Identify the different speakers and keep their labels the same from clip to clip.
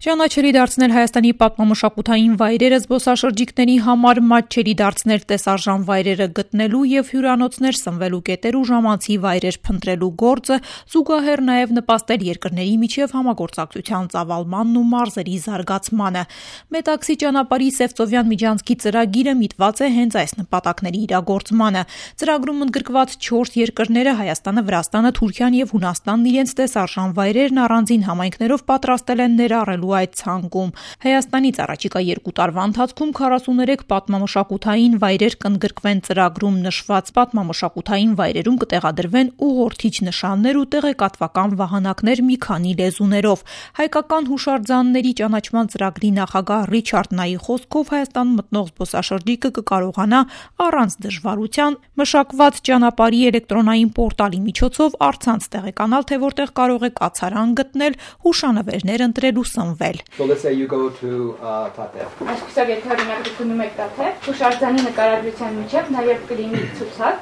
Speaker 1: Ճանաչելի դարձնել Հայաստանի պատմամշակութային վայրերը զբոսաշրջիկների համար, մատչելի դարձնել տեսարժան վայրերը գտնելու և հյուրանոցներ սնվելու կետեր ու ժամանցի վայրեր փնտրելու գործը, զուգահեռ նաև նպաստել երկրների միջև համագործակցության ծավալմանն ու մարզերի զարգացմանը։ Մետաքսի ճանապարհի Սևծովյան միջանցքի ծրագիրը միտված է հենց այս նպատակների իրագործմանը։ Ծրագրում ընդգրկված 4 երկրները Հայաստանը, Վրաստանը, Թուրքիան և Հունաստանն իրենց տեսարժան վայրերն առանձին համայնքներով պատրաստել են ներառելու այդ ցանկում։ Հայաստանից առաջիկա 2 տարվա ընթացքում 43 պատմամշակութային վայրեր կընդգրկվեն ծրագրում նշված պատմամշակութային վայրերում կտեղադրվեն ուղղորդիչ նշաններ ու տեղեկատվական վահանակներ մի քանի լեզուներով։ Հայկական հուշարձանների ճանաչման ծրագրի նախագահ Ռիչարդ Նայի խոսքով Հայաստան մտնող զբոսաշրջիկը կկարողանա առանց դժվարության մշակված ճանապարհի էլեկտրոնային պորտալի միջոցով առցանց տեղեկանալ, թե որտեղ կարող է կացարան գտնել, հուշանվերներ ընտրել ու սնվել։
Speaker 2: So let's say you go to Tatev.
Speaker 3: Այսպիսով եթե օրինակ դուք գնում եք Tatev, հուշարձանի նկարագրության միջև նաև կլինի ցուցակ,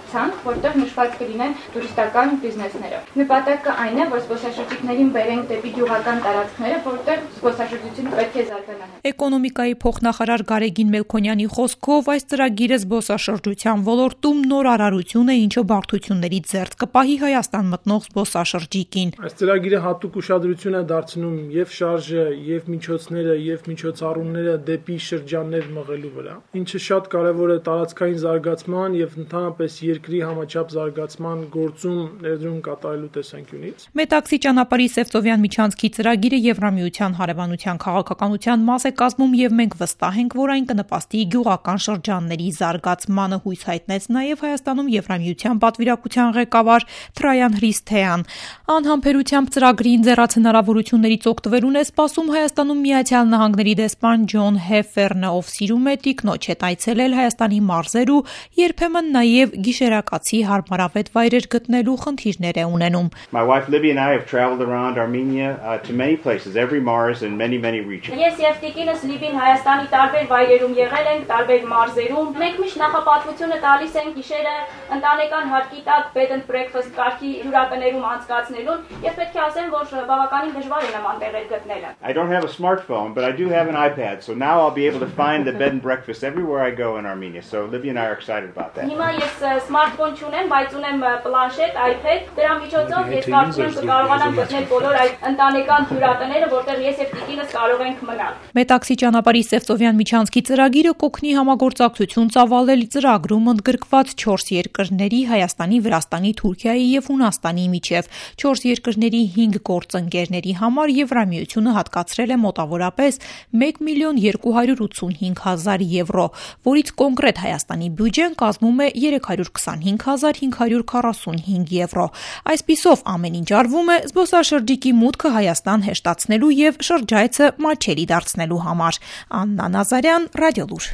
Speaker 3: որտեղ նշված կլինեն տուրիստական բիզնեսները։ Նպատակը այն է, որ զբոսաշրջիկներին բերենք դեպի գյուղական տարածքները, որտեղ զբոսաշրջությունը պետք է զարգանա։
Speaker 1: Էկոնոմիկայի փոխնախարար Գարեգին Մելքոնյանի խոսքով այս ծրագիրը զբոսաշրջության ոլորտում նոր արարություն է, ինչը բարդություններից զերծ կպահի Հայաստան մտնող զբոսաշրջիկին։
Speaker 4: Այս ծրագիրը հատուկ ուշադրություն է դարձնում եւ շարժը, եւ միջոցները, եւ միջոցառումները դեպի շրջաններ մղելու վրա, ինչը շատ կարեւոր է տարածքային զարգացման եւ ընդհանրապես երկրի համաչափ զարգացման գործում ներդրում կատարելու տեսանկյունից։
Speaker 1: Մետաքսի ճանապարհի Սևծովյան միջանցքի ծրագիրը Եվրամիության հարևանության քաղաքականության մաս է կազմում եւ մենք վստահ ենք, որ այն կնպաստի գյուղական շրջանների զարգացմանը, հույս հայտնեց նաեւ Հայաստանում Եվրամիության պատվիրակության ղեկավար Թրայան Հրիսթեան։ Անհամբերությամբ ծրագրի ինձեռած հնարավորություններից օգտվելուն է սպասում Հայաստանում Միացյալ Նահանգների դեսպան Ջոն Հեֆերնը, ով սիրում է տիկնոջ հետ այցելել Հայաստանի մարզեր ու երբեմն նաև գիշերակացի հարմարավետ վայրեր գտնելու խնդիրներ է ունենում։
Speaker 5: My wife Libby and I have traveled around Armenia to many places, every Mars and many regions.
Speaker 3: Ես եւ տիկինս Լիբին Հայաստանի տարբեր վայրերում եղել ենք, տարբեր մարզերում։ Մենք միշտ նախապատվությունը տալիս ենք գիշերը ընտանեկան հարկի տակ bed and breakfast կարգի հյուրատներում անցկացնելուն, եւ պետք է ասեմ, որ բավականին դժվար է նման տեղեր գտնելը։
Speaker 5: I don't have a smartphone, but I do have an iPad, so now I'll be able to find the bed and breakfast everywhere I go in Armenia. So Libby and I are excited about that.
Speaker 3: Հիմա ես սմարթֆոն չունեմ, բայց ունեմ պլանշետ, iPad, դրա միջոցով ես կարծում եմ կկարողանամ գտնել բոլոր այդ ընտանեկան հյուրատները, որտեղ ես եւ տիկինս կարող ենք մնալ։
Speaker 1: Մետաքսի ճանապարհի Սևծովյան միջանցքի ծրագիրը կօգնի համագործակցություն ծավալել ծրագրում ընդգրկված 4 երկրների՝ Հայաստանի, Վրաստանի, Թուրքիայի եւ Հունաստանի միջև։ 4 երկրների 5 գործընկերների համար Եվրամիությունը հատկացրել է մոտավորապես 1.285.000 եվրո, որից կոնկրետ Հայաստանի բյուջեն կազմում է 325.545 եվրո։ Այսպիսով ամեն ինչ արվում է զբոսաշրջիկի մուտքը Հայաստան հեշտացնելու եւ շրջայցը մատչելի դարձնելու համար։ Աննա Նազարյան, Ռադիոլուր։